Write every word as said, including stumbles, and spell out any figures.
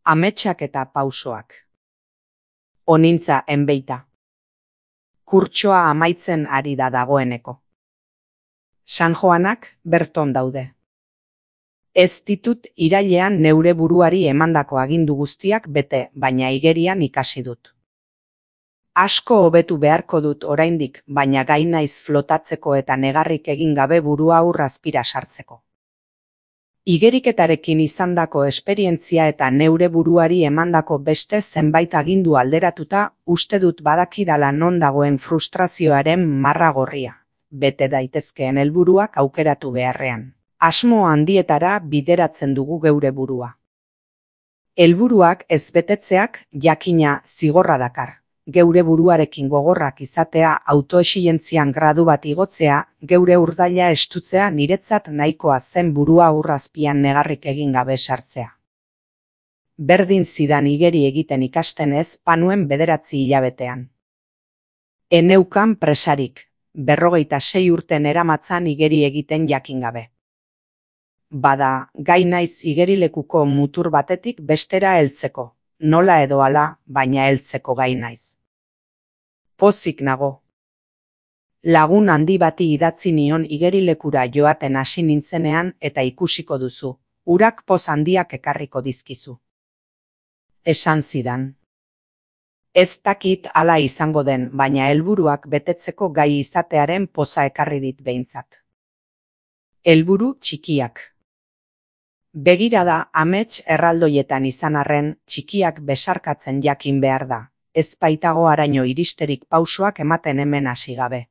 Ametsak eta pausoak. Onintza enbeita. Kurtsoa amaitzen ari da dagoeneko. San Joanak berton daude. Ez ditut irailean neure buruari emandako agindu guztiak bete, baina igerian ikasi dut. Asko hobetu beharko dut oraindik, baina gai naiz flotatzeko eta negarrik egin gabe burua ur azpira sartzeko. Igeriketarekin izandako esperientzia eta neure buruari emandako beste zenbait agindu alderatuta, uste dut badakidala non dagoen frustrazioaren marra gorria, bete daitezkeen helburuak aukeratu beharrean. Asmo handietara bideratzen dugu geure burua. Helburuak ez betetzeak jakina zigorra dakar. Geure buruarekin gogorrak izatea, autoexigentzian gradu bat igotzea, geure urdaila estutzea niretzat nahikoa zen burua ur azpian negarrik egin gabe sartzea. Berdin zidan igeri egiten ikasten ez panuen bederatzi hilabetean. Eneukan presarik, berrogeita sei urten eramatzan igeri egiten jakin gabe. Bada, gai naiz igerilekuko mutur batetik bestera heltzeko, nola edo hala, baina heltzeko gai naiz. Pozik nago. Lagun handi bati idatzi nion igerilekura joaten hasi nintzenean eta ikusiko duzu, urak poz handiak ekarriko dizkizu. Esan zidan. Ez dakit hala izango den, baina helburuak betetzeko gai izatearen poza ekarri dit behintzat. Helburu txikiak. Begirada amets erraldoietan izan arren, txikiak besarkatzen jakin behar da, ez baitago haraino iristerik pausoak ematen hemen hasi gabe.